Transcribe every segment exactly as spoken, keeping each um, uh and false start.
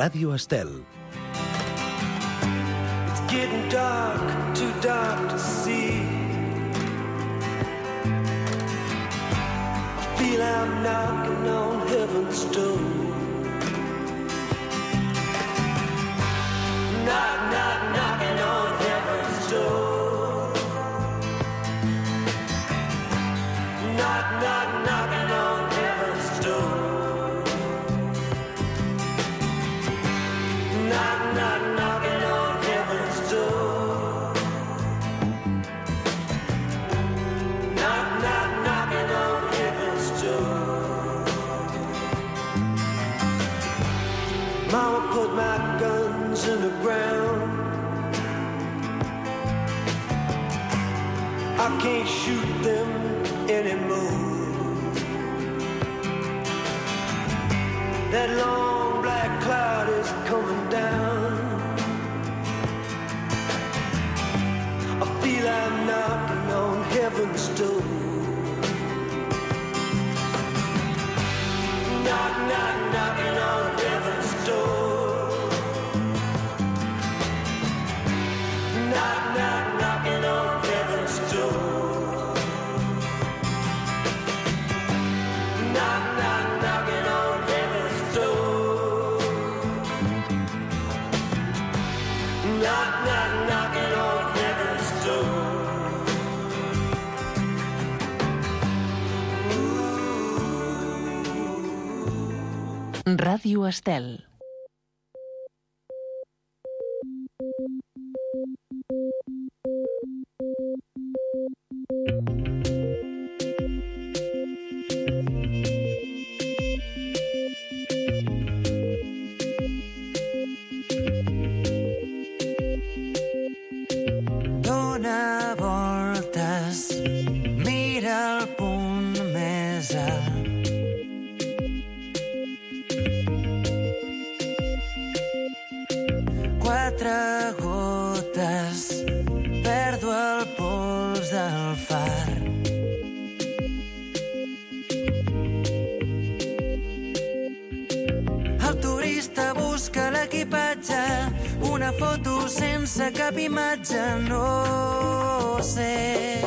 Ràdio Estel. It's getting dark, too dark to see. I feel I'm knocking on heaven's door. Knock, knock, knocking on heaven's door. Knock, knock, knocking on heaven's door. Knock, knock, knocking on heaven's door. Knock, knock, knocking on heaven's door. Mama put my guns in the ground. I can't shoot them anymore. That long black cloud is coming down. I feel I'm knocking on heaven's door. Knock, knock, knocking on heaven's door. Knock, knock, knocking on heaven's door. Knock, knock, knocking on heaven's door. Knock, knock, knocking on heaven's door. Ràdio Estel. Dóna voltes, mira el punt més alt. Quatre gotes, perdo el pols del far. El turista busca l'equipatge, una foto sense cap imatge, no sé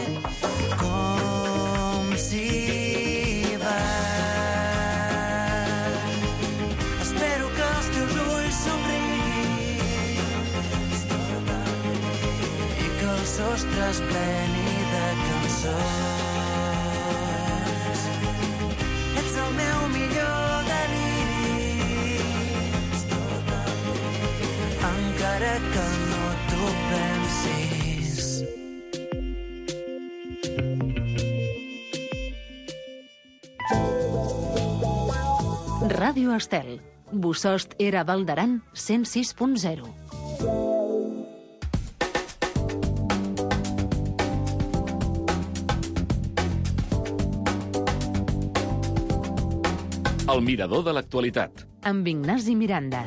com s'hi va. Espero que els teus ulls somriguin i que el sostre es pleni de cançons. Ets el meu millor deliri, encara que no t'ho pensis. Ràdio Estel. Bossòst era Val d'Aran cent sis punt zero. El mirador de l'actualitat. Amb Ignasi Miranda.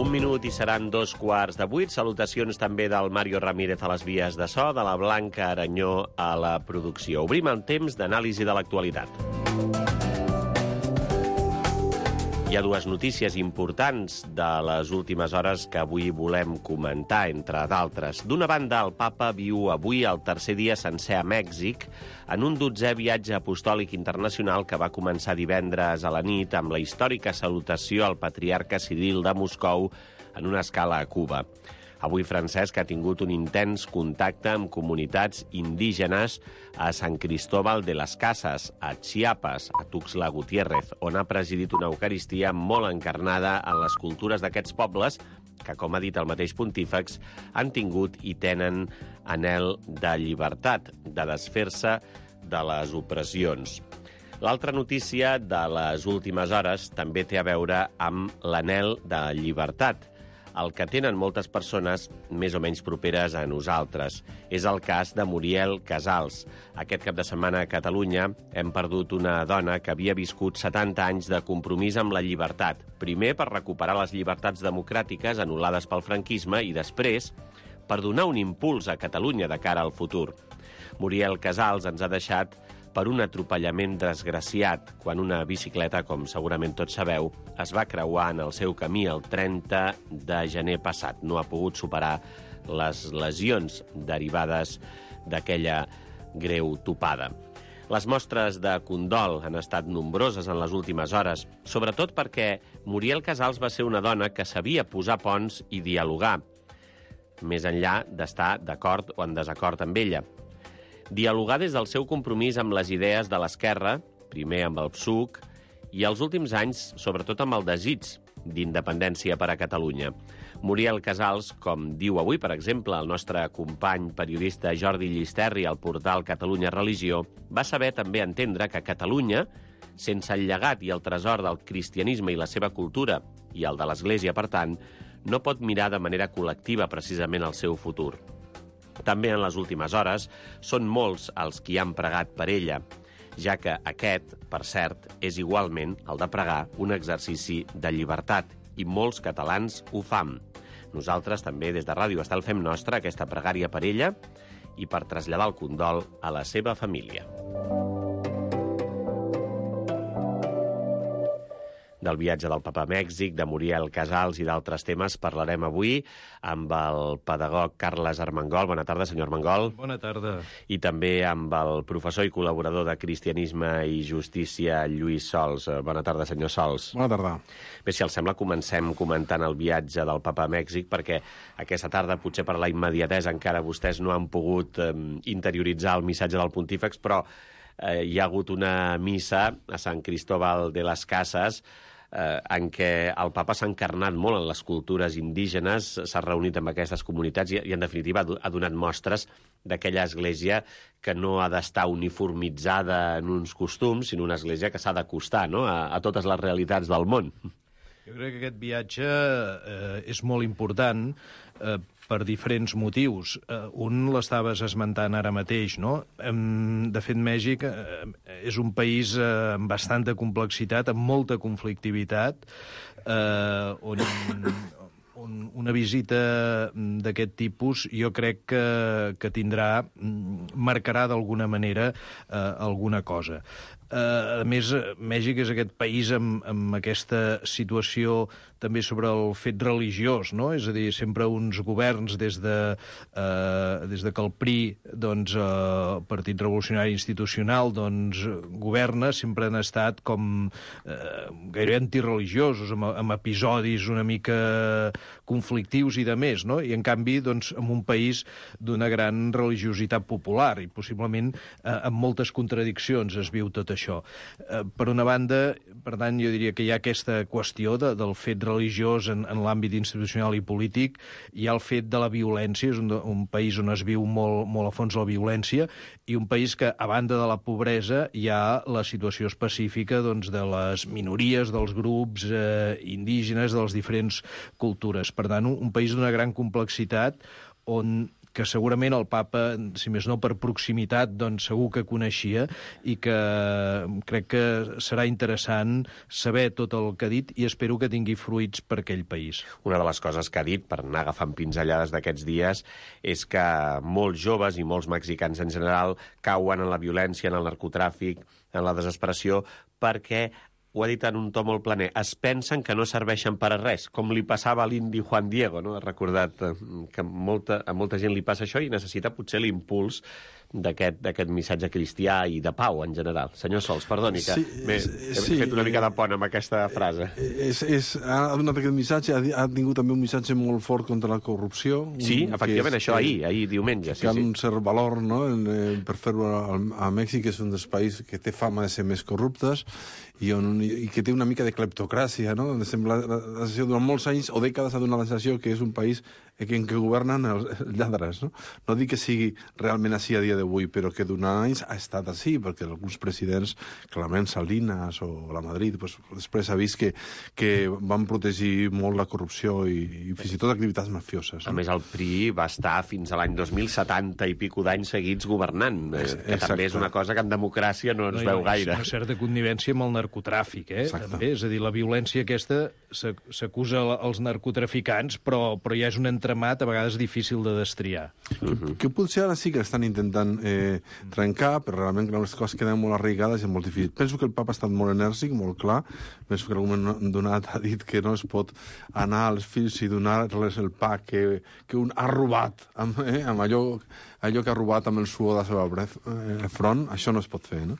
Un minut i seran dos quarts de vuit. Salutacions també del Mario Ramírez a les vies de so, de la Blanca Aranyó a la producció. Obrim el temps d'anàlisi de l'actualitat. Hi ha dues notícies importants de les últimes hores que avui volem comentar, entre d'altres. D'una banda, el papa viu avui el tercer dia sencer a Mèxic en un dotzè viatge apostòlic internacional que va començar divendres a la nit amb la històrica salutació al patriarca Ciril de Moscou en una escala a Cuba. Avui Francesc ha tingut un intens contacte amb comunitats indígenes a Sant Cristóbal de las Casas, a Chiapas, a Tuxtla Gutiérrez, on ha presidit una eucaristia molt encarnada en les cultures d'aquests pobles que, com ha dit el mateix pontífex, han tingut i tenen anhel de llibertat, de desfer-se de les opressions. L'altra notícia de les últimes hores també té a veure amb l'anhel de llibertat, el que tenen moltes persones més o menys properes a nosaltres. És el cas de Muriel Casals. Aquest cap de setmana a Catalunya hem perdut una dona que havia viscut setanta anys de compromís amb la llibertat. Primer per recuperar les llibertats democràtiques anul·lades pel franquisme i després per donar un impuls a Catalunya de cara al futur. Muriel Casals ens ha deixat per un atropellament desgraciat quan una bicicleta, com segurament tots sabeu, es va creuar en el seu camí el trenta de gener passat. No ha pogut superar les lesions derivades d'aquella greu topada. Les mostres de condol han estat nombroses en les últimes hores, sobretot perquè Muriel Casals va ser una dona que sabia posar ponts i dialogar, més enllà d'estar d'acord o en desacord amb ella. Dialogar des del seu compromís amb les idees de l'esquerra, primer amb el P S U C, i els últims anys, sobretot amb el desig d'independència per a Catalunya. Muriel Casals, com diu avui, per exemple, el nostre company periodista Jordi Llisterri al portal Catalunya Religió, va saber també entendre que Catalunya, sense el llegat i el tresor del cristianisme i la seva cultura, i el de l'Església, per tant, no pot mirar de manera col·lectiva precisament el seu futur. També en les últimes hores són molts els qui han pregat per ella, ja que aquest, per cert, és igualment el de pregar un exercici de llibertat, i molts catalans ho fan. Nosaltres també des de Ràdio Estel fem nostra aquesta pregària per ella i per traslladar el condol a la seva família. Del viatge del Papa a Mèxic, de Muriel Casals i d'altres temes parlarem avui amb el pedagog Carles Armengol. Bona tarda, senyor Armengol. Bona tarda. I també amb el professor i col·laborador de Cristianisme i Justícia, Lluís Sols. Bona tarda, senyor Sols. Bona tarda. Bé, si els sembla, comencem comentant el viatge del Papa a Mèxic, perquè aquesta tarda, potser per la immediatesa, encara vostès no han pogut eh, interioritzar el missatge del pontífex, però eh, hi ha hagut una missa a Sant Cristóbal de las Casas eh, en què el papa s'ha encarnat molt en les cultures indígenes, s'ha reunit amb aquestes comunitats i, i en definitiva, ha donat mostres d'aquella església que no ha d'estar uniformitzada en uns costums, sinó una església que s'ha d'acostar, no?, a, a totes les realitats del món. Jo crec que aquest viatge eh, és molt important eh, per diferents motius. Eh, un l'estaves esmentant ara mateix, no? De fet, Mèxic eh, és un país eh, amb bastanta complexitat, amb molta conflictivitat, eh, on, on una visita d'aquest tipus jo crec que, que tindrà, marcarà d'alguna manera eh, alguna cosa. Uh, a més, Mèxic és aquest país amb, amb aquesta situació també sobre el fet religiós, no? És a dir, sempre uns governs des de, uh, des de que el P R I, doncs, uh, el Partit Revolucionari Institucional, doncs, governa, sempre han estat com uh, gairebé antireligiosos, amb, amb episodis una mica conflictius i de més, no? I en canvi, doncs, en un país d'una gran religiositat popular i possiblement uh, amb moltes contradiccions es viu tot això. Això. Eh, per una banda, per tant, jo diria que hi ha aquesta qüestió de, del fet religiós en, en l'àmbit institucional i polític, hi ha el fet de la violència, és un, un país on es viu molt, molt a fons la violència, i un país que, a banda de la pobresa, hi ha la situació específica doncs, de les minories, dels grups eh, indígenes, de les diferents cultures. Per tant, un, un país d'una gran complexitat on que segurament el papa, si més no per proximitat, doncs segur que coneixia i que crec que serà interessant saber tot el que ha dit i espero que tingui fruits per aquell país. Una de les coses que ha dit, per anar agafant pinzellades d'aquests dies, és que molts joves i molts mexicans en general cauen en la violència, en el narcotràfic, en la desesperació, perquè ho ha dit en un to molt planer, es pensen que no serveixen per a res, com li passava a l'indi Juan Diego, no? Ha recordat que molta, a molta gent li passa això i necessita potser l'impuls d'aquest d'aquest missatge cristià i de pau en general. Senyor Sols, perdoni que sí, he, he sí, fet una mica de pont amb aquesta frase. És, és, ha donat aquest missatge, ha, ha tingut també un missatge molt fort contra la corrupció. Sí, efectivament, és, això ahir, ahir diumenge. Que sí, ha sí. un cert valor, no?, per fer-ho a, a Mèxic, que és un dels països que té fama de ser més corruptes i, on, i que té una mica de cleptocràcia, no?, donde sembla la sensació durant molts anys o dècades ha donat la sensació que és un país en què governen els lladres, no? No dic que sigui realment així a dia d'avui, però que durant anys ha estat així, perquè alguns presidents, clarament Salinas o la Madrid, pues, després ha vist que, que van protegir molt la corrupció i, i fins i tot activitats mafioses. A més, el P R I va estar fins a l'any dos mil setanta i pico d'anys seguits governant, eh, que Exacte. també és una cosa que en democràcia no ens No, veu no, gaire. Una certa connivència amb el narcotràfic, eh? Exacte. També, és a dir, la violència aquesta s'acusa als narcotraficants, però, però ja és un entramat a vegades difícil de destriar. Que, que potser ara sí que estan intentant eh, trencar, però realment que les coses queden molt arraigades i és molt difícil. Penso que el papa ha estat molt enèrgic, molt clar. Penso que en algun moment donat ha dit que no es pot anar als fills i donar-les el pa que, que un ha robat amb, eh, amb allò, allò que ha robat amb el suor de la seva bref, eh, front. Això no es pot fer, no?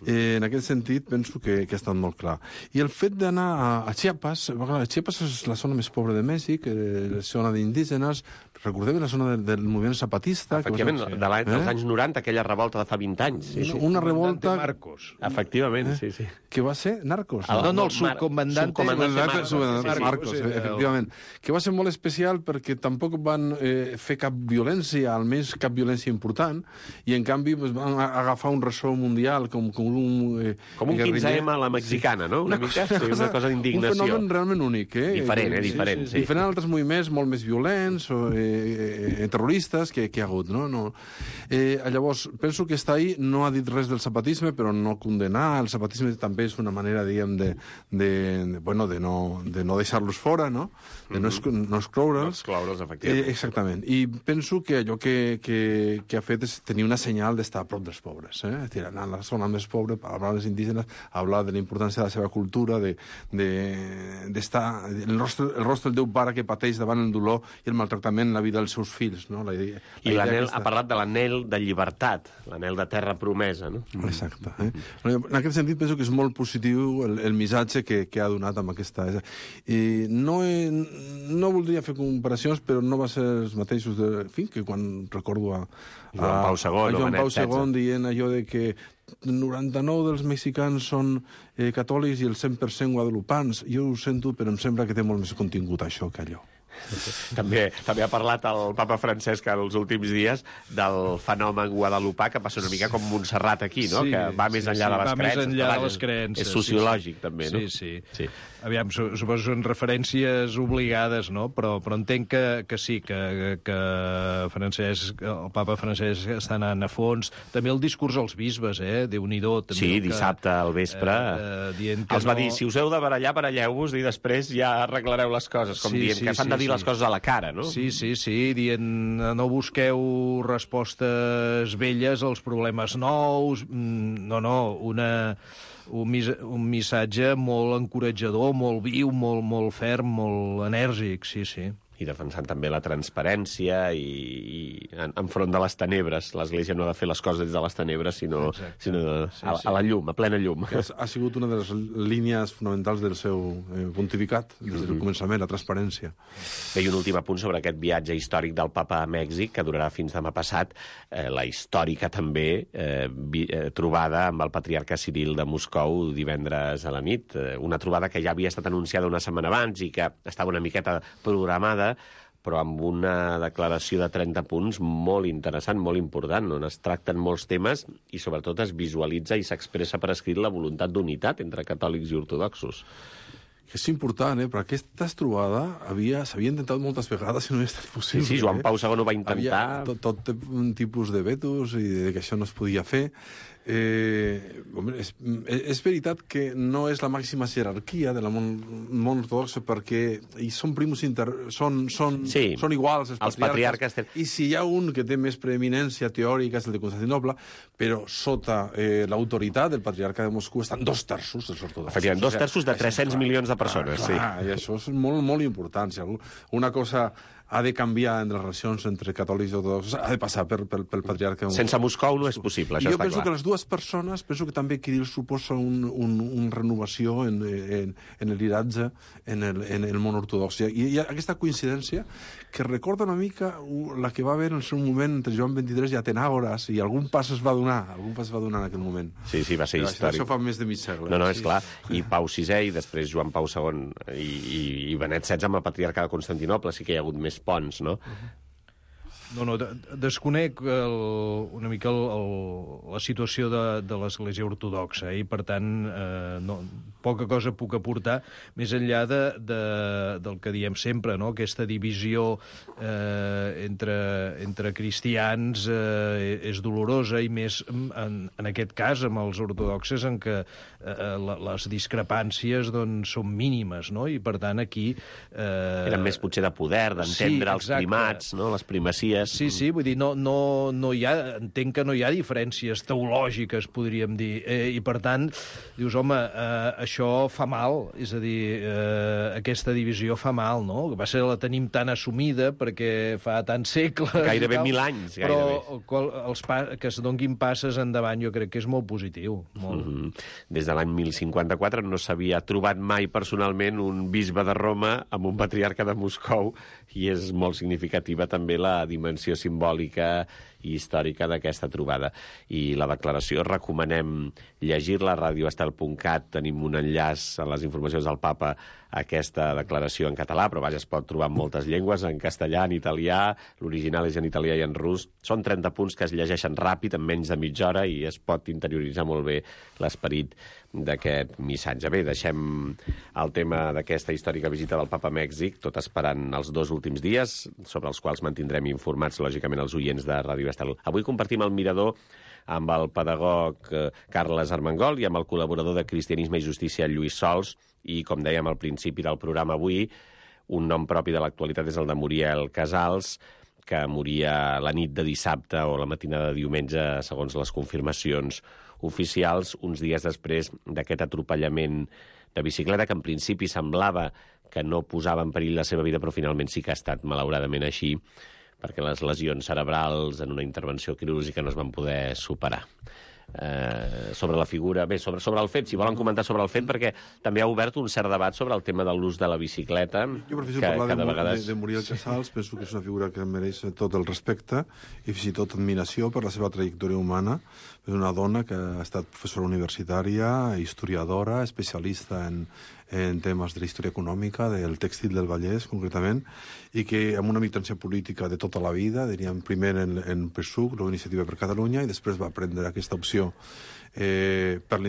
Eh, en aquest sentit, penso que, que ha estat molt clar. I el fet d'anar a, a Chiapas, clar, Chiapas és la zona més pobra de Mèxic, eh, la zona d'indígenes, recordem la zona del, del moviment zapatista... Efectivament, que va ser, de l'any, dels eh? anys noranta, aquella revolta de fa vint anys. Sí, sí. Una revolta Marcos. Efectivament, sí, sí. que va ser Narcos. El- No, no, el Mar- subcomandante... subcomandante Marcos, Marcos, Marcos, sí, sí. Marcos, Sí, eh, efectivament. Que va ser molt especial perquè tampoc van eh, fer cap violència, almenys cap violència important, i en canvi pues, van a- agafar un ressò mundial com, com un... Eh, Com un guerriller. quinze eme a la mexicana, no? Una, mica, sí, una cosa Un d'indignació. fenomen realment únic, eh? Diferent, eh? Diferent, sí. Diferent a altres moviments molt més violents o eh, eh, terroristes que, que hi ha hagut, no? no. Eh, llavors, penso que està ahí, no ha dit res del zapatisme, però no condenar. El zapatisme també és una manera, diguem, de, de, de, bueno, de no, de no deixar-los fora, no? De no, exclo- no excloure'ls. Excloure'ls, Eh, efectivament. exactament. I penso que allò que, que, que ha fet és tenir una senyal d'estar a prop dels pobres. Eh? És dir, anar a la zona més pobra, parlar als indígenes, hablar de la importància de la seva cultura, de, de, d'estar... El rostre, el rostre del Déu pare que pateix davant el dolor i el maltractament en la vida dels seus fills. No? La idea, I la idea l'anel, aquesta- ha parlat de l'anel de llibertat, l'anel de terra promesa, no? Exacte. Eh? En aquest sentit, penso que és molt positiu el, el missatge que, que ha donat amb aquesta... I no, he, no voldria fer comparacions, però no va ser els mateixos de... En fi, que quan recordo a... a Joan Pau segon a o Joan Benet Pau segon setze. dient allò de que noranta-nou dels mexicans són eh, catòlics i el cent per cent guadalupans. Jo ho sento, però em sembla que té molt més contingut això que allò. També, també ha parlat el papa Francesc els últims dies del fenomen guadalupà, que passa una mica com Montserrat aquí, no? Sí, que va més sí, enllà sí, de les va més creences. enllà de Vaja, les creences, És sí, sociològic, sí. també, no? Sí, sí. sí. Aviam, su- suposo que són referències obligades, no? Però, però entenc que, que sí, que, que Francesc, el papa Francesc està anant a fons. També el discurs als bisbes, eh? Déu-n'hi-do. també Sí, el que, dissabte al vespre eh, eh, dient que els va no- dir, si us heu de barallar, baralleu-vos i després ja arreglareu les coses, com Sí, dient sí, que s'han de sí, dir sí. les coses a la cara, no? Sí, sí, sí, dient no busqueu respostes velles als problemes nous, mm, no, no, una, un, mis, un missatge molt encoratjador, molt viu, molt, molt ferm, molt enèrgic, sí, sí. I defensant també la transparència i, i en, enfront de les tenebres. L'Església no ha de fer les coses des de les tenebres, sinó, Exacte. sinó Sí, a, sí. a la llum, a plena llum. Que ha, ha sigut una de les línies fonamentals del seu eh, pontificat, des del començament, la transparència. Bé, i un últim apunt sobre aquest viatge històric del papa a Mèxic, que durarà fins demà passat, eh, la històrica també eh, vi, eh, trobada amb el patriarca Ciril de Moscou divendres a la nit, eh, una trobada que ja havia estat anunciada una setmana abans i que estava una miqueta programada, però amb una declaració de trenta punts molt interessant, molt important, on es tracten molts temes i sobretot es visualitza i s'expressa per escrit la voluntat d'unitat entre catòlics i ortodoxos. Que és important, eh? Però aquesta trobada havia, s'havia intentat moltes vegades i no havia estat Sí, possible. sí, Joan eh? Pau segon ho va intentar. Havia tot, tot un tipus de vetos i de que això no es podia fer. Eh, home, és, és veritat que no és la màxima jerarquia de la món, món ortodoxa perquè i són primus inter... són, són, Sí, són iguals els els patriarques, patriarques i si hi ha un que té més preeminència teòrica és el de Constantinople, però sota eh, l'autoritat del patriarca de Moscou estan dos terços dels ortodoxos. Efectivament, dos terços de tres-cents milions de persones, sí. Ah, i això és molt, molt important. Si algú, una cosa ha de canviar en les relacions entre catòlics i ortodoxos, ha de passar per, per, pel patriarca. Sense Moscou no és possible, I això jo està penso clar. que les dues persones, penso que també Kirill suposa un, un, un renovació en, en, en el lideratge en el, en el món ortodox. I hi ha aquesta coincidència que recorda una mica la que va haver en el seu moment entre Joan vint-i-tres i Atenàgores, i algun pas es va donar, algun pas es va donar en aquell moment. Sí, sí, va ser Però històric. Això fa més de mig segle. No, no, és Sí. clar. I Pau sisè i després Joan Pau segon i, i, i Benet setze amb el patriarca de Constantinople. Sí que hi ha hagut més ponts, no? No, no, desconec el, una mica el, el, la situació de, de l'Església Ortodoxa, eh? I per tant, eh, no, poca cosa puc aportar, més enllà de, de, del que diem sempre, no? Aquesta divisió eh, entre, entre cristians eh, és dolorosa, i més en, en aquest cas amb els ortodoxes, en què eh, les discrepàncies doncs, són mínimes, no? I per tant aquí... Eh... Eren més potser de poder, d'entendre sí, els primats, no? Les primacies. Sí, sí, vull dir, no, no, no hi ha, entenc que no hi ha diferències teològiques, podríem dir, eh, i per tant, dius, home, eh, això fa mal, és a dir, eh, aquesta divisió fa mal, no? Que va ser la tenim tan assumida perquè fa tants segles... Gairebé mil anys, gairebé. Però qual, els pa, que es donguin passes endavant jo crec que és molt positiu. Molt. Mm-hmm. Des de l'any mil cinquanta-quatre no s'havia trobat mai personalment un bisbe de Roma amb un patriarca de Moscou, i és molt significativa també la dimensió simbòlica i històrica d'aquesta trobada. I la declaració recomanem llegir-la a radio estel punt cat. Tenim un enllaç a les informacions del Papa a aquesta declaració en català, però vaja, es pot trobar en moltes llengües, en castellà, en italià, l'original és en italià i en rus. Són trenta punts que es llegeixen ràpid, en menys de mitja hora, i es pot interioritzar molt bé l'esperit d'aquest missatge. Bé, deixem el tema d'aquesta històrica visita del Papa a Mèxic, tot esperant els dos últims dies, sobre els quals mantindrem informats, lògicament, els oients de Ràdio Estel. Avui compartim el mirador amb el pedagog Carles Armengol i amb el col·laborador de Cristianisme i Justícia, Lluís Sols, i, com dèiem al principi del programa avui, un nom propi de l'actualitat és el de Muriel Casals, que moria la nit de dissabte o la matinada de diumenge, segons les confirmacions oficials, uns dies després d'aquest atropellament de bicicleta, que en principi semblava que no posava en perill la seva vida, però finalment sí que ha estat malauradament així, perquè les lesions cerebrals en una intervenció quirúrgica no es van poder superar. Eh, sobre la figura... Bé, sobre, sobre el fet, si volen comentar sobre el fet, perquè també ha obert un cert debat sobre el tema de l'ús de la bicicleta. Jo prefiero que, parlar que de, de, vegades... de, de Muriel Casals, penso que és una figura que mereix tot el respecte i fins i tot admiració per la seva trajectòria humana. És una dona que ha estat professora universitària, historiadora, especialista en, en temes de la història econòmica, del tèxtil del Vallès, concretament, i que amb una militància política de tota la vida, diríem primer en, en P S U C, l'Iniciativa per Catalunya, i després va prendre aquesta opció eh, per,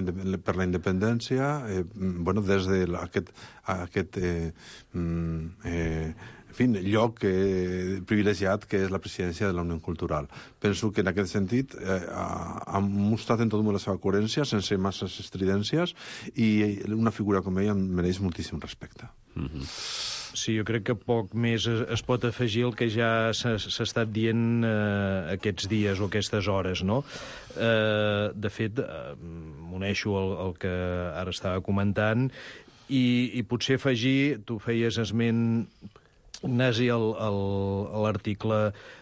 per la independència, eh, bueno, des de la, aquest, aquest eh, eh, en fi, lloc eh, privilegiat que és la presidència de la Unió Cultural. Penso que en aquest sentit eh, ha, ha mostrat en tot moment la seva coherència, sense masses estridències, i una figura com ella mereix moltíssim respecte. Mm-hmm. Sí, jo crec que poc més es, es pot afegir el que ja s'ha estat dient eh, aquests dies o aquestes hores, no? Eh, de fet, eh, m'uneixo al, al que ara estava comentant, i, i potser afegir, tu feies esment, Ignasi, l'article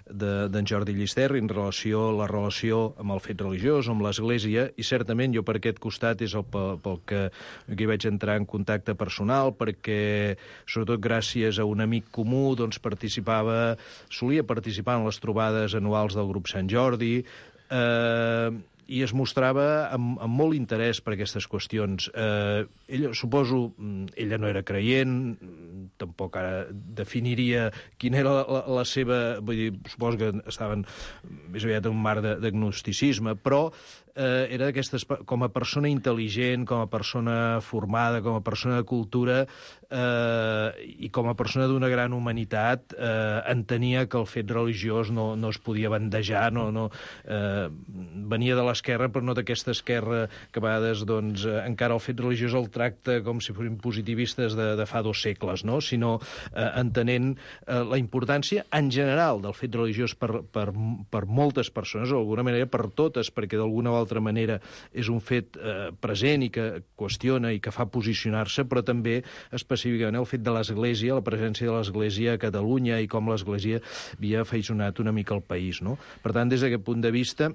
d'en de, Jordi Llisterri en relació la relació amb el fet religiós, amb l'Església, i certament jo per aquest costat és el pel, pel que aquí vaig entrar en contacte personal, perquè sobretot gràcies a un amic comú doncs participava, solia participar en les trobades anuals del grup Sant Jordi, eh, i es mostrava amb, amb molt interès per aquestes qüestions. Eh, ella, suposo, ella no era creient, tampoc ara definiria quina era la, la seva... Vull dir, suposo que estaven més aviat en un mar d'agnosticisme, però eh, era d'aquestes... Com a persona intel·ligent, com a persona formada, com a persona de cultura, eh, i com a persona d'una gran humanitat, eh, entenia que el fet religiós no, no es podia bandejar, no, no, eh, venia de l'esquerra, però no d'aquesta esquerra que a vegades doncs, encara el fet religiós el tracta com si fossin positivistes de, de fa dos segles, no? Sinó eh, entenent eh, la importància en general del fet religiós per, per, per moltes persones, o d'alguna manera per totes, perquè d'alguna o altra manera és un fet eh, present i que qüestiona i que fa posicionar-se, però també específicament el fet de l'Església, la presència de l'Església a Catalunya i com l'Església havia afeixonat una mica el país, no? Per tant, des d'aquest punt de vista,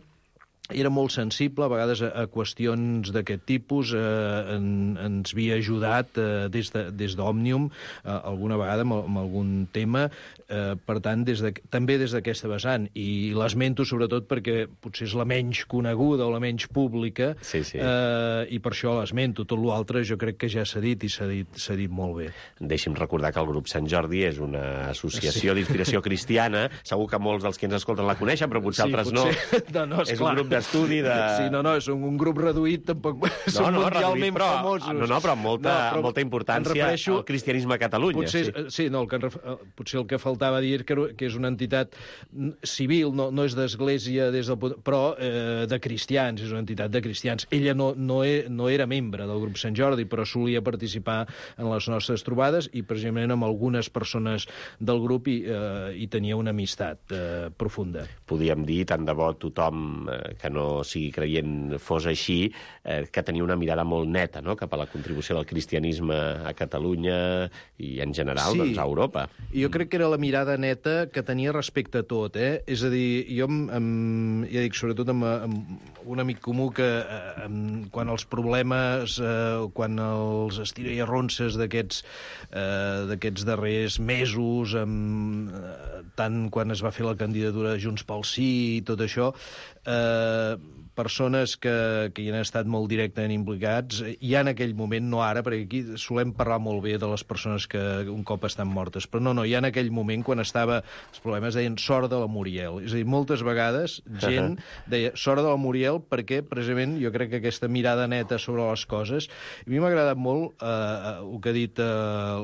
era molt sensible, a vegades, a, a qüestions d'aquest tipus. Eh, en, ens havia ajudat eh, des de, des d'Òmnium, eh, alguna vegada amb, amb algun tema. Eh, per tant, des de, també des d'aquesta vessant. I l'esmento sobretot perquè potser és la menys coneguda o la menys pública, sí, sí. Eh, i per això l'esmento. Tot l'altre jo crec que ja s'ha dit i s'ha dit, s'ha dit molt bé. Deixi'm recordar que el grup Sant Jordi és una associació sí. d'inspiració cristiana. Segur que molts dels que ens escolten la coneixen, però potser sí, altres potser... no. no, no és, és un grup d'estudi de... Sí, no, no, és un, un grup reduït, tampoc no, són no, mundialment reduït, però, famosos. No, no, però amb molta, no, però molta importància refereixo... al cristianisme a Catalunya. Potser, sí, sí no, el que, potser el que faltava dir que, que és una entitat civil, no, no és d'església, des del, però eh, de cristians, és una entitat de cristians. Ella no, no, e, no era membre del grup Sant Jordi, però solia participar en les nostres trobades i precisament amb algunes persones del grup hi, eh, hi tenia una amistat eh, profunda. Podíem dir, tant de bo tothom eh, que no sigui creient fos així, eh, que tenia una mirada molt neta, no?, cap a la contribució del cristianisme a Catalunya i en general sí. doncs, a Europa. Jo crec que era la mirada neta que tenia respecte a tot, eh? És a dir, jo, amb, amb, ja dic, sobretot amb, amb un amic comú que amb, quan els problemes, eh, quan els estira i arronses d'aquests eh, d'aquests darrers mesos, amb, eh, tant quan es va fer la candidatura de Junts pel Sí i tot això, eh, persones que, que hi han estat molt directament implicats, ja en aquell moment, no ara, perquè aquí solem parlar molt bé de les persones que un cop estan mortes, però no, no, ja en aquell moment, quan estava els problemes, deien sort de la Muriel. És a dir, moltes vegades gent deia sort de la Muriel perquè, precisament, jo crec que aquesta mirada neta sobre les coses... A mi m'ha agradat molt eh, el que ha dit eh,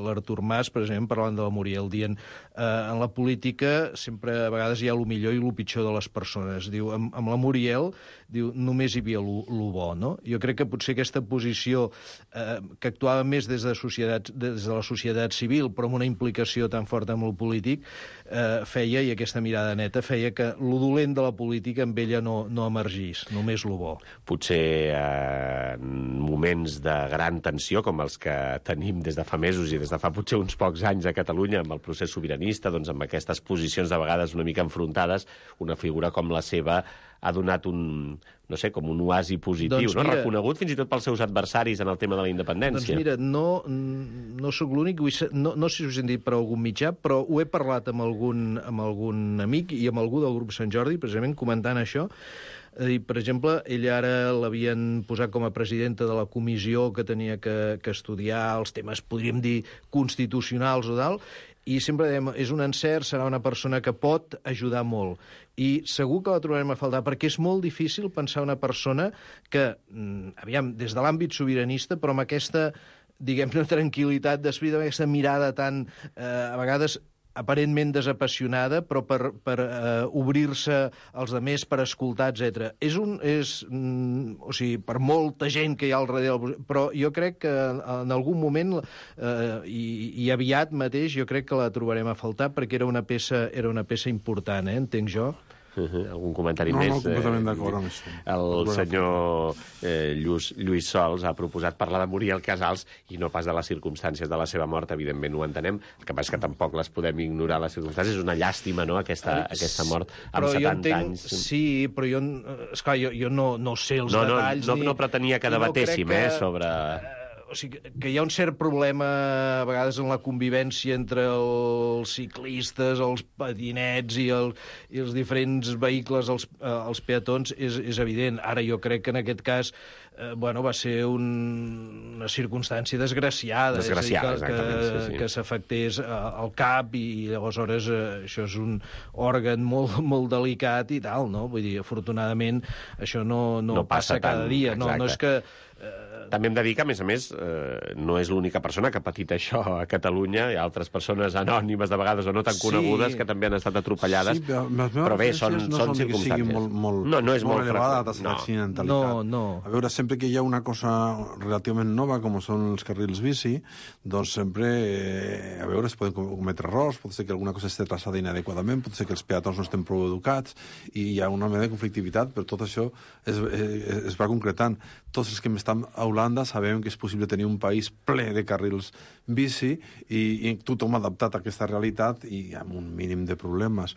l'Artur Mas, precisament, parlant de la Muriel, dient eh, en la política sempre a vegades hi ha el millor i el pitjor de les persones. Diu, amb, amb la Muriel, diu, només hi havia el bo, no? Jo crec que potser aquesta posició eh, que actuava més des de, societat, des de la societat civil, però amb una implicació tan forta amb el polític, eh, feia, i aquesta mirada neta, feia que lo dolent de la política amb ella no, no emergís, només lo bo. Potser eh, en moments de gran tensió, com els que tenim des de fa mesos i des de fa potser uns pocs anys a Catalunya, amb el procés sobiranista, doncs amb aquestes posicions de vegades una mica enfrontades, una figura com la seva ha donat un, no sé, com un oasi positiu, doncs mira, no? Reconegut fins i tot pels seus adversaris en el tema de la independència. Doncs mira, no, no sóc l'únic, no, no sé si us he dit per algun mitjà, però ho he parlat amb algun, amb algun amic i amb algú del grup Sant Jordi, precisament comentant això. I, per exemple, ella ara l'havien posat com a presidenta de la comissió que tenia que, que estudiar els temes, podríem dir, constitucionals o tal, i sempre dèiem, és un encert, serà una persona que pot ajudar molt. I segur que la trobarem a faltar, perquè és molt difícil pensar una persona que, aviam, des de l'àmbit sobiranista, però amb aquesta, diguem-ne, tranquil·litat d'esprit, amb aquesta mirada tan, eh, a vegades, aparentment desapassionada, però per, per uh, obrir-se als altres, per escoltar, etcètera. És un... És, mm, o sigui, per molta gent que hi ha al darrere, però jo crec que en algun moment, uh, i, i aviat mateix, jo crec que la trobarem a faltar, perquè era una peça, era una peça important, eh, entenc jo. Uh-huh. Algun comentari no, més? No, completament d'acord amb això. El senyor eh, Lluís, Lluís Sols ha proposat parlar de Muriel Casals i no pas de les circumstàncies de la seva mort, evidentment ho entenem. El que passa és que tampoc les podem ignorar, les circumstàncies. És una llàstima, no?, aquesta, aquesta mort amb però setanta entenc, anys. Sí, però jo, esclar, jo, jo no, no sé els no, no, detalls. No, no, ni, no pretenia que debatéssim, no eh, sobre... O sigui, que hi ha un cert problema a vegades en la convivència entre els ciclistes, els patinets i, el, i els diferents vehicles, els, eh, els peatons, és, és evident. Ara jo crec que en aquest cas eh, bueno, va ser un, una circumstància desgraciada. Desgraciada, és a dir, que, exactament. Que, sí, sí. que s'afectés al cap i, i aleshores eh, això és un òrgan molt, molt delicat i tal, no? Vull dir, afortunadament això no, no, no passa, passa cada tant, dia. No, no és que... Eh, També hem de dir que, a més a més, eh, no és l'única persona que ha patit això a Catalunya. Hi ha altres persones anònimes, de vegades, o no tan conegudes, sí, que també han estat atropellades. Sí, però, però bé, són, no són circumstàncies. Molt, molt, no, no és molt, molt elevada la freqüent. tassa d'accidentalitat. No, no. A veure, sempre sempre que hi ha una cosa relativament nova, com són els carrils bici, doncs sempre, eh, a veure, es poden cometre errors, pot ser que alguna cosa esté traçada inadequadament, pot ser que els peatons no estem prou educats, i hi ha una mena de conflictivitat, però tot això es, es, es va concretant. Tots els que estan a Holanda sabem que és possible tenir un país ple de carrils bici i, i tothom adaptat a aquesta realitat i amb un mínim de problemes.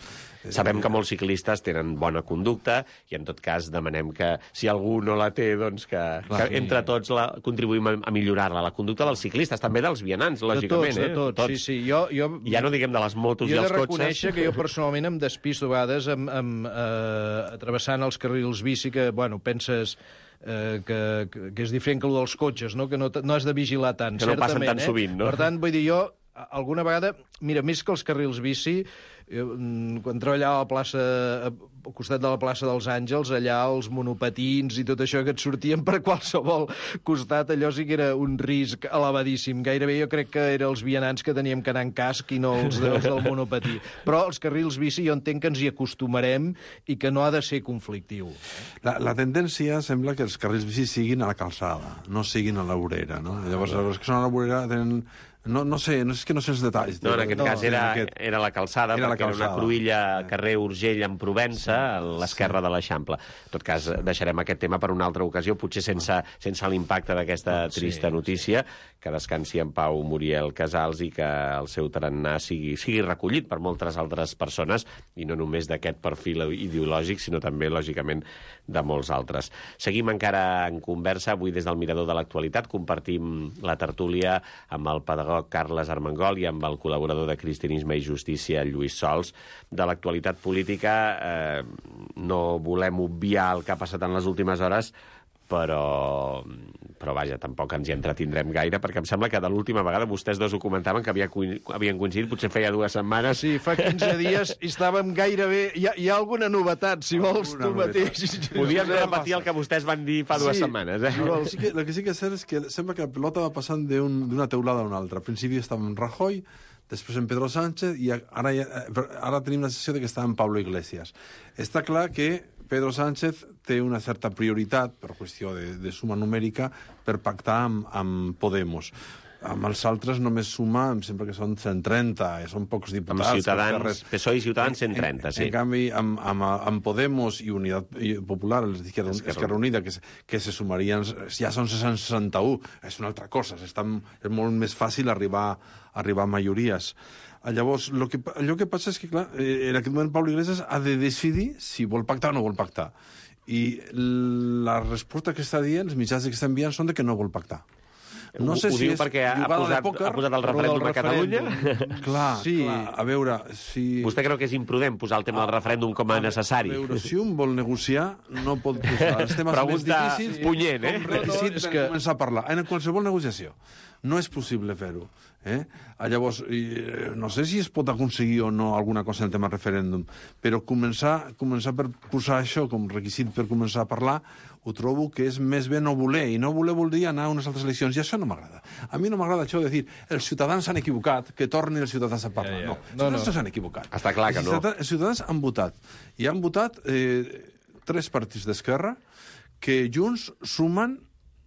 Sabem que molts ciclistes tenen bona conducta i, en tot cas, demanem que, si algú no la té, doncs que, Clar, que entre tots la, contribuïm a, a millorar-la. La conducta dels ciclistes, també dels vianants, lògicament. De tots, eh? de tots, tots. sí, sí. Jo, jo... Ja no diguem de les motos jo i els he de cotxes. reconèixer que jo personalment em despisto a vegades amb, amb, eh, travessant els carrils bici que, bueno, penses... Eh, que, que, que és diferent que el dels cotxes, no? Que no, no has de vigilar tant, que no certament. passen tan eh? sovint, no? Per tant, vull dir, jo, alguna vegada... Mira, més que els carrils bici, jo, quan treballava a la plaça, al costat de la plaça dels Àngels, allà els monopatins i tot això que et sortien per qualsevol costat, allò sí que era un risc elevadíssim. Gairebé jo crec que eren els vianants que teníem que anar en casc i no els, els del monopatí. Però els carrils bici jo entenc que ens hi acostumarem i que no ha de ser conflictiu. La, la tendència sembla que els carrils bici siguin a la calçada, no siguin a la vorera, no? Llavors, els que són a la vorera tenen... No, no sé, no és que no sé els detalls. No, en aquest no, cas era, aquest... era la calçada, era la perquè calçada. era una cruïlla carrer Urgell en Provença, a l'esquerra sí. de l'Eixample. En tot cas, deixarem aquest tema per una altra ocasió, potser sense, sense l'impacte d'aquesta trista sí, notícia, sí. que descansi en pau Muriel Casals i que el seu tarannà sigui, sigui recollit per moltes altres persones, i no només d'aquest perfil ideològic, sinó també, lògicament, de molts altres. Seguim encara en conversa, avui des del Mirador de l'Actualitat, compartim la tertúlia amb el pedagog Carles Armengol i amb el col·laborador de Cristianisme i Justícia, Lluís Sols. De l'actualitat política eh, no volem obviar el que ha passat en les últimes hores, però, però vaja, tampoc ens hi entretindrem gaire, perquè em sembla que de l'última vegada vostès dos ho comentaven, que havia, havien coincidit, potser feia dues setmanes. Sí, fa quinze dies i estàvem gairebé... Hi ha, hi ha alguna novetat, si vols, alguna tu mateix. Podíem repetir el que vostès van dir fa dues sí. setmanes, eh? No, sí que, el que sí que és cert és que sembla que la pelota va passant d'una un, teulada a una altra. Al principi estava en Rajoy, després en Pedro Sánchez, i ara, ara tenim la sensació de que està en Pablo Iglesias. Està clar que Pedro Sánchez té una certa prioritat, per qüestió de, de suma numèrica, per pactar amb, amb Podemos. Amb els altres només suma, em sembla que són cent trenta, són pocs diputats. Amb Ciutadans, P S O E i Ciutadans, cent trenta, en, sí. En canvi, amb, amb, amb Podemos i Unitat Popular, l'Esquerra Esquerra Unida, que, que se sumarien, ja són sis cents seixanta-u, és una altra cosa, estan, és molt més fàcil arribar, arribar a majories. Llavors, lo que, allò que passa és que, clar, en aquest moment Pablo Iglesias ha de decidir si vol pactar o no vol pactar. I la resposta que està dient, els mitjans que està enviant, són de que no vol pactar. No sé ho si diu és perquè ha posat, pòquer, ha posat el referèndum a Catalunya? Clar, sí. clar, a veure, si... Vostè creu que és imprudent posar el tema del referèndum com a necessari? A veure, si un vol negociar, no pot posar els temes Pregunta més difícils punyent, eh? com requisit per que... començar a parlar. En qualsevol negociació. No és possible fer-ho. Eh? Llavors, no sé si es pot aconseguir o no alguna cosa en el tema referèndum, però començar, començar per posar això com requisit per començar a parlar, ho trobo que és més bé no voler, i no voler vol dir anar a unes altres eleccions, i això no m'agrada. A mi no m'agrada això de dir, els ciutadans s'han equivocat, que tornin els ciutadans a parlar. Ja, ja. No, els ciutadans no, no. s'han equivocat. Està clar que no. Els ciutadans han votat, i han votat eh, tres partits d'esquerra que junts sumen,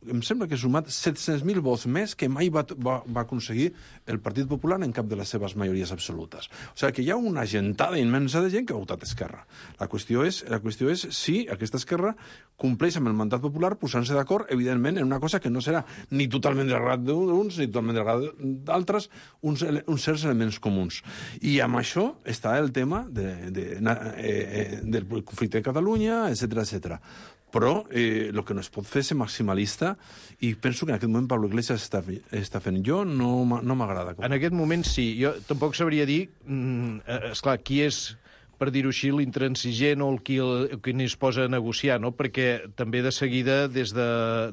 em sembla que ha sumat set-cents mil vots més que mai va, va, va aconseguir el Partit Popular en cap de les seves majories absolutes. O sigui que hi ha una gentada immensa de gent que ha votat Esquerra. La qüestió és, la qüestió és si aquesta Esquerra compleix amb el mandat popular posant-se d'acord, evidentment, en una cosa que no serà ni totalment de l'agrat d'uns ni totalment de l'agrat d'altres, uns, uns certs elements comuns. I amb això està el tema de, de, eh, eh, del conflicte de Catalunya, etcètera, etcètera. Però el eh, que no es pot fer és ser maximalista, i penso que en aquest moment Pablo Iglesias està, està fent. Jo no, no m'agrada. En aquest moment sí. Jo tampoc sabria dir, mm, esclar, qui és, per dir-ho així, l'intransigent o el qui, el, qui es posa a negociar, no? Perquè també de seguida des, de,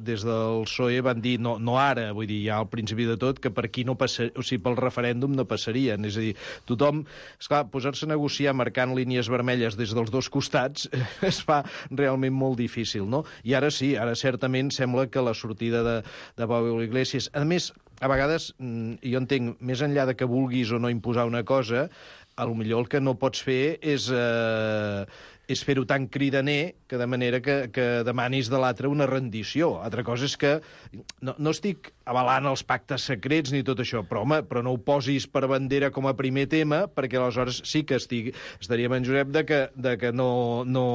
des del P S O E van dir, no, no ara, vull dir, ja al principi de tot, que per aquí no passaria, o sigui, pel referèndum no passarien. És a dir, tothom, esclar, posar-se a negociar marcant línies vermelles des dels dos costats es fa realment molt difícil, no? I ara sí, ara certament sembla que la sortida de, de Pablo Iglesias... A més, a vegades, jo entenc, més enllà de que vulguis o no imposar una cosa, a lo millor el que no pots fer és, eh, és fer-ho tan cridaner que de manera que, que demanis de l'altre una rendició. Altra cosa és que no, no estic avalant els pactes secrets ni tot això, però, home, però no ho posis per bandera com a primer tema, perquè aleshores sí que estic, estaríem en Josep de que, de que no, no,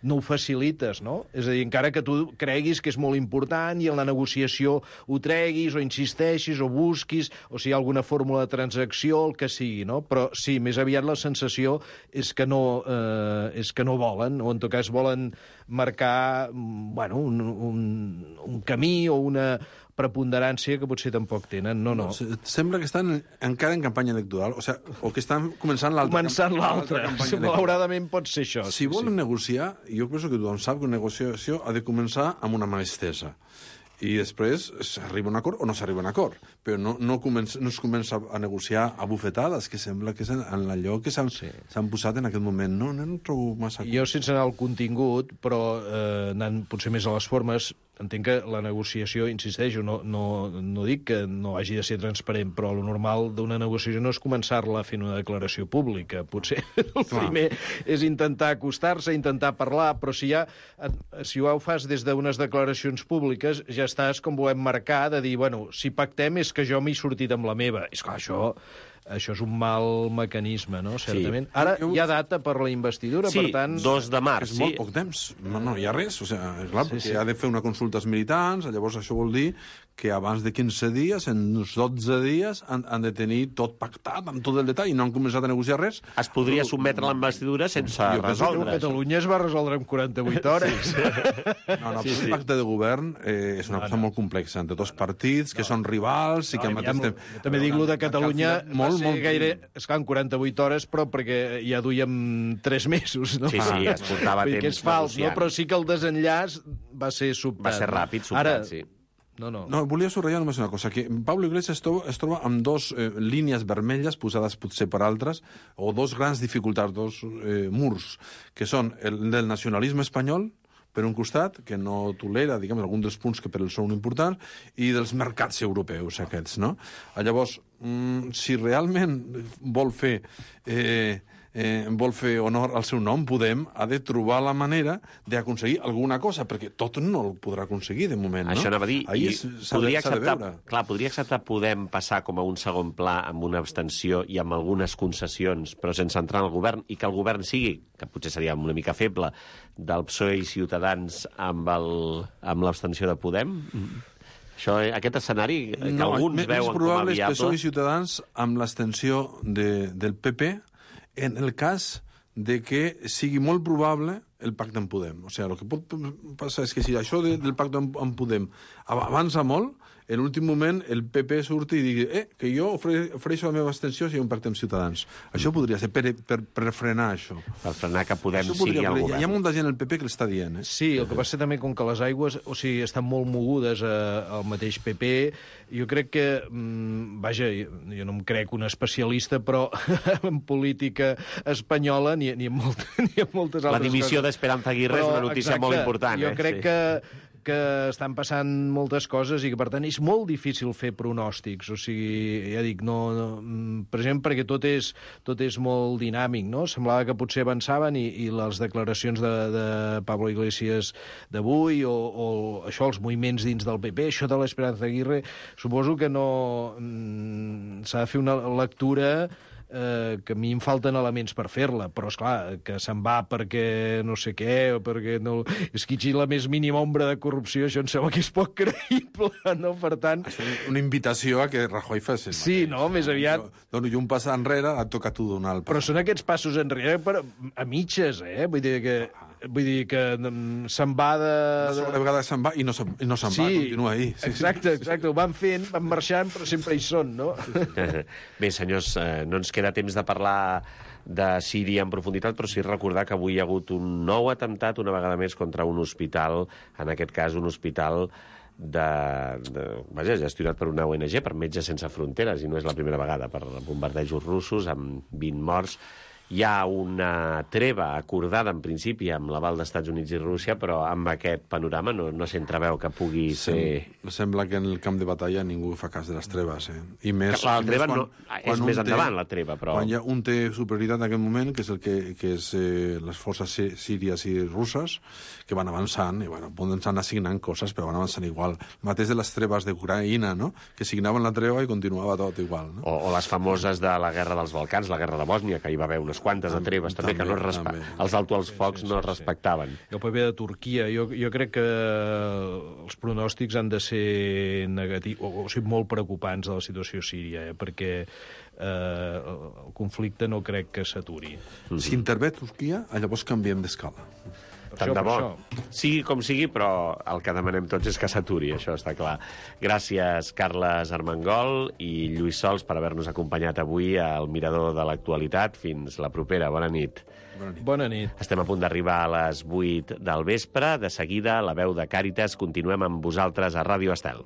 no ho facilites, no? És a dir, encara que tu creguis que és molt important i en la negociació ho treguis o insisteixis o busquis, o si hi ha alguna fórmula de transacció, el que sigui, no? Però sí, més aviat la sensació és que no, eh, és que no volen, o en tot cas volen marcar bueno, un, un, un camí o una preponderància que potser tampoc tenen. No, no. Sembla que estan encara en campanya electoral, o, sigui, o que estan començant l'altra. Començant l'altra. Malauradament pot ser això. Si sí, volen sí. negociar, jo penso que tothom sap que una negociació ha de començar amb una mà estesa. I després s'arriba a un acord o no s'arriba a un acord. Però no, no, comença, no es comença a negociar a bufetades, que sembla que és en, en allò que s'han sí. posat en aquest moment. No, no, no trobo massa... Jo, sense anar al contingut, però eh, anant potser més a les formes, entenc que la negociació, insisteixo, no, no, no dic que no hagi de ser transparent, però el normal d'una negociació no és començar-la fent una declaració pública. Potser el Clar. primer és intentar acostar-se, intentar parlar, però si ja si ho fas des d'unes declaracions públiques, ja estàs, com volem marcar, de dir, bueno, si pactem és que jo m'he sortit amb la meva. És clar, això... Això és un mal mecanisme, no?, certament. Sí. Ara hi ha data per la investidura, sí, per tant... Sí, dos de març, és sí. molt poc temps. No, no hi ha res. O sigui, és clar, sí, perquè sí. ha de fer una consulta als militants, llavors això vol dir que abans de quinze dies, en uns dotze dies, han, han de tenir tot pactat, amb tot el detall, i no han començat a negociar res. Es podria sotmetre a la investidura sense jo resoldre. A Catalunya es va resoldre en quaranta-vuit hores. Sí, sí. No, no, sí, sí. El pacte de govern eh, és una no, cosa no. molt complexa, entre dos partits, que no. són rivals, i no, que al mateix temps... També dic, lo de Catalunya molt, va ser molt... gaire... Esclar, en quaranta-vuit hores, però perquè ja duíem tres mesos, no? Sí, sí, es portava temps que és fals, negociant. no? Però sí que el desenllaç va ser sobtat. Va ser ràpid, sobtat, Ara, sí. No, no. No, volia subratllar només una cosa, que Pablo Iglesias es troba, es troba amb dos eh, línies vermelles posades potser per altres, o dos grans dificultats, dos eh, murs, que són el del nacionalisme espanyol, per un costat, que no tolera, diguem, alguns dels punts que per ell són importants, i dels mercats europeus aquests, no? Llavors, mm, si realment vol fer... Eh, eh, vol fer honor al seu nom, Podem ha de trobar la manera d'aconseguir alguna cosa, perquè tot no el podrà aconseguir de moment, no? Això anava a dir, Ahí i podria acceptar, clar, podria acceptar Podem passar com a un segon pla amb una abstenció i amb algunes concessions, però sense entrar en el govern, i que el govern sigui, que potser seria una mica feble, del P S O E i Ciutadans amb l'abstenció de Podem? Mm. Això, aquest escenari que no, alguns veuen com a viable... Més probable és P S O E i Ciutadans amb l'abstenció de, del P P en el cas de que sigui molt probable el pacte amb Podem. O sigui, el que pot passar és que si això de, del pacte amb, amb Podem avança molt, en l'últim moment el P P surti i digui eh, que jo ofre, ofereixo la meva abstenció si hi ha un pacte amb Ciutadans. Això podria ser per, per, per frenar això. Per frenar que Podem això sigui podria, al govern. Hi ha molta gent al P P que l'està dient. Eh? Sí, el que passa també com que les aigües, o sigui, estan molt mogudes a, al mateix P P, jo crec que, mmm, vaja, jo no em crec un especialista, però en política espanyola ni, ni, en, molt, ni en moltes altres coses. La dimissió d'Esperanza Aguirre però, és una notícia exacte, molt important. Jo eh? crec sí. que que estan passant moltes coses i que, per tant, és molt difícil fer pronòstics. O sigui, ja dic, no, no per exemple, perquè tot és, tot és molt dinàmic, no? Semblava que potser avançaven i, i les declaracions de, de Pablo Iglesias d'avui o, o això, els moviments dins del P P, això de l'Esperanza Aguirre, suposo que no... s'ha de fer una lectura eh, que a mi em falten elements per fer-la, però, esclar, que se'n va perquè no sé què, o perquè no... És que hi la més mínima ombra de corrupció, això em sembla que és poc creïble, no? Per tant... És una invitació a que Rajoy fes el sí, mateix. No? Més aviat... Jo, dono jo un pas enrere, et toca tu donar el pas. Però són aquests passos enrere per, a mitges, eh? Vull dir que... Vull dir que se'n va de... Una vegada se'n va i no se'n no se sí, va, continua ahí. Sí, exacte, exacte, ho van fent, van marxant, però sempre hi són, no? Bé, senyors, eh, no ens queda temps de parlar de Síria en profunditat, però sí recordar que avui hi ha hagut un nou atemptat, una vegada més, contra un hospital, en aquest cas un hospital de, de, vaja, gestionat per una O N G, per Metges Sense Fronteres, i no és la primera vegada, per bombardejos russos amb vint morts Hi ha una treva acordada, en principi, amb l'aval d'Estats Units i Rússia, però amb aquest panorama no, no s'entreveu que pugui ser... Sem sembla que en el camp de batalla ningú fa cas de les treves, eh? I més, que la i treva més quan, no, és quan més té, endavant, la treva, però... Quan ja un té superioritat en aquest moment, que és, el que, que és eh, les forces síries i russes, que van avançant, i bueno, poden anar signant coses, però van avançant igual. El mateix de les treves d'Ucraïna, no? Que signaven la treva i continuava tot igual, no? O, o les famoses de la Guerra dels Balcans, la Guerra de Bòsnia, que hi va haver unes quantes de treves, també, també que no es respe... els alto als focs sí, sí, no es respectaven. I el paper de Turquia, jo, jo crec que els pronòstics han de ser negatius, o, o sigui, molt preocupants de la situació síria, eh? Perquè eh, el conflicte no crec que s'aturi. Mm-hmm. Si intervé Turquia, llavors canviem d'escala. Tant de bo. Sigui com sigui, però el que demanem tots és que s'aturi, això està clar. Gràcies, Carles Armengol i Lluís Sols, per haver-nos acompanyat avui al Mirador de l'Actualitat. Fins la propera. Bona nit. Bona nit. Bona nit. Estem a punt d'arribar a les vuit del vespre. De seguida, la veu de Càritas. Continuem amb vosaltres a Ràdio Estel.